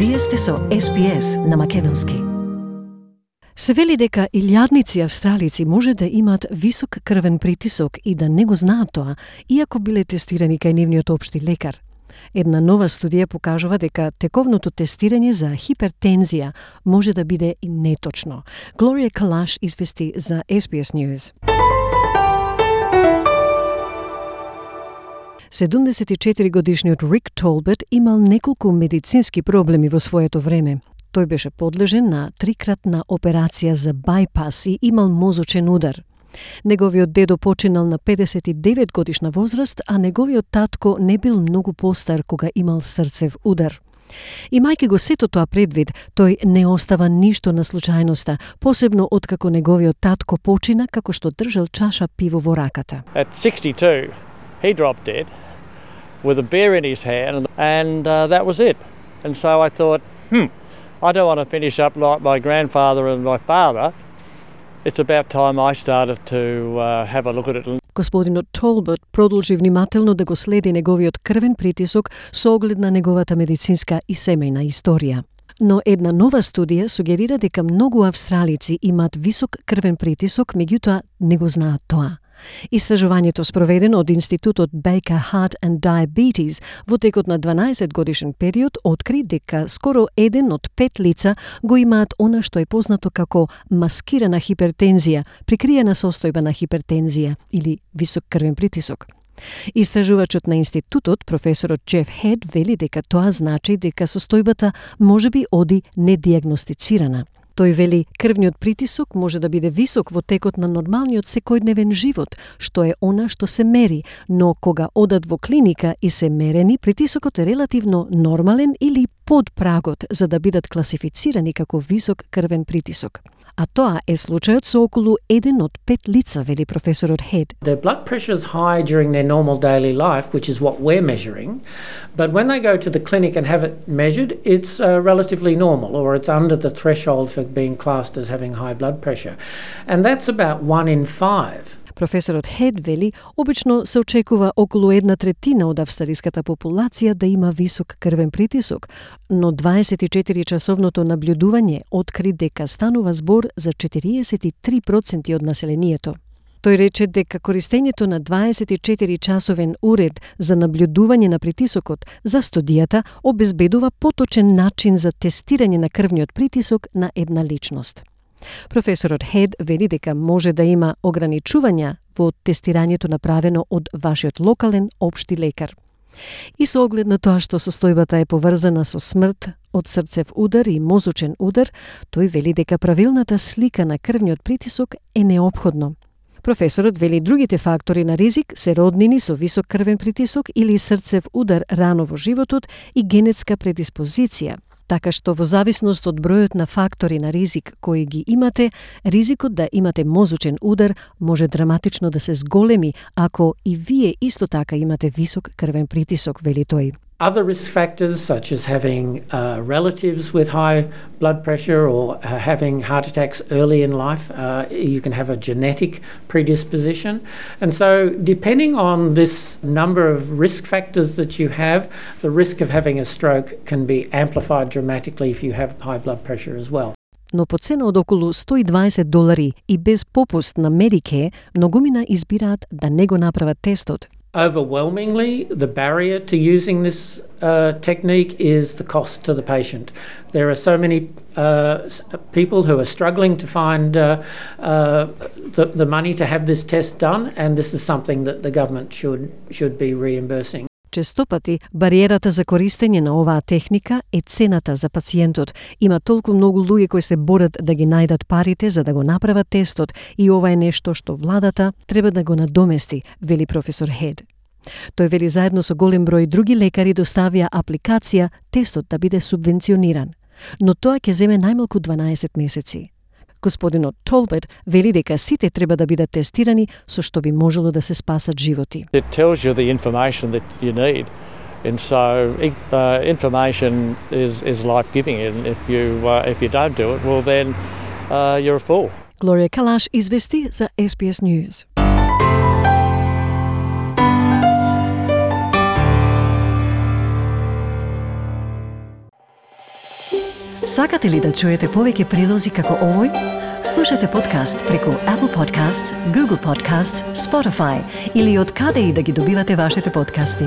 Вие сте со SPS на македонски. Се вели дека илјадници австралици може да имаат висок крвен притисок и да не го знаат тоа, иако биле тестирани кај нивниот општи лекар. Една нова студија покажува дека тековното тестирање за хипертензија може да биде и неточно. Глорија Калаш извести за SBS News. 74-годишниот Рик Толбет имал неколку медицински проблеми во своето време. Тој беше подлежен на 3-кратна операција за бајпас и имал мозочен удар. Неговиот дедо починал на 59 годишна возраст, а неговиот татко не бил многу постар кога имал срцев удар. Имајќи го сето тоа предвид, тој не остава ништо на случајноста, посебно откако неговиот татко почина како што држал чаша пиво во раката. At 62, he dropped dead with a beer in his hand, and that was it. And so I thought, I don't want to finish up like my grandfather and my father. It's about time I started to have a look at it. Господинот Толбет продолжи внимателно да го следи неговиот крвен притисок со оглед на неговата медицинска и семејна историја. Но една нова студија сугерира дека многу австралици имаат висок крвен притисок, меѓутоа не го знаат тоа. Истражувањето спроведено од Институтот Baker Heart and Diabetes во текот на 12 годишен период откри дека скоро 1 од 5 лица го имаат она што е познато како маскирана хипертензија, прикриена состојба на хипертензија или висок крвен притисок. Истражувачот на институтот, професорот Джеф Хед, вели дека тоа значи дека состојбата можеби оди недиагностицирана. Тој вели, крвниот притисок може да биде висок во текот на нормалниот секојдневен живот, што е она што се мери, но кога одат во клиника и се мерени, притисокот е релативно нормален или под прагот за да бидат класифицирани како висок крвен притисок. А тоа е случајот со околу 1 од 5 лица, вели професорот Хед. Their blood pressure is high during their normal daily life, which is what we're measuring, but when they go to the clinic and have it measured, it's relatively normal, or it's under the threshold for being classed as having high blood pressure. And that's about 1 in 5. Професорот Хед вели, обично се очекува околу 1/3 од австралиската популација да има висок крвен притисок, но 24-часовното наблюдување откри дека станува збор за 43% од населението. Тој рече дека користењето на 24-часовен уред за наблюдување на притисокот за студијата обезбедува поточен начин за тестирање на крвниот притисок на една личност. Професорот Хед вели дека може да има ограничувања во тестирањето направено од вашиот локален општи лекар. И со оглед на тоа што состојбата е поврзана со смрт од срцев удар и мозочен удар, тој вели дека правилната слика на крвниот притисок е неопходно. Професорот вели другите фактори на ризик се роднини со висок крвен притисок или срцев удар рано во животот и генетска предиспозиција, така што во зависност од бројот на фактори на ризик кои ги имате, ризикот да имате мозочен удар може драматично да се зголеми ако и вие исто така имате висок крвен притисок, вели тој. Other risk factors, such as having relatives with high blood pressure or having heart attacks early in life, you can have a genetic predisposition. And so, depending on this number of risk factors that you have, the risk of having a stroke can be amplified dramatically if you have high blood pressure as well. Но по цена од околу $120 и без попуст на Medicare, многумина избираат да не го направат тестот. Overwhelmingly, the barrier to using this technique is the cost to the patient. There are so many people who are struggling to find the money to have this test done, and this is something that the government should be reimbursing. Честопати, бариерата за користење на оваа техника е цената за пациентот. Има толку многу луѓе кои се борат да ги најдат парите за да го направат тестот и ова е нешто што владата треба да го надомести, вели професор Хед. Тој вели заедно со голем број други лекари доставија апликација тестот да биде субвенциониран. Но тоа ќе земе најмалку 12 месеци. Господинот Толбет вели дека сите треба да бидат тестирани со што би можело да се спасат животи. It tells you the information that you need. And so information is life-giving, and if you don't do it, well then you're a fool. Глорија Калаш извести за SBS News. Сакате ли да чуете повеќе прилози како овој? Слушате подкаст преку Apple Podcasts, Google Podcasts, Spotify или од каде и да ги добивате вашите подкасти.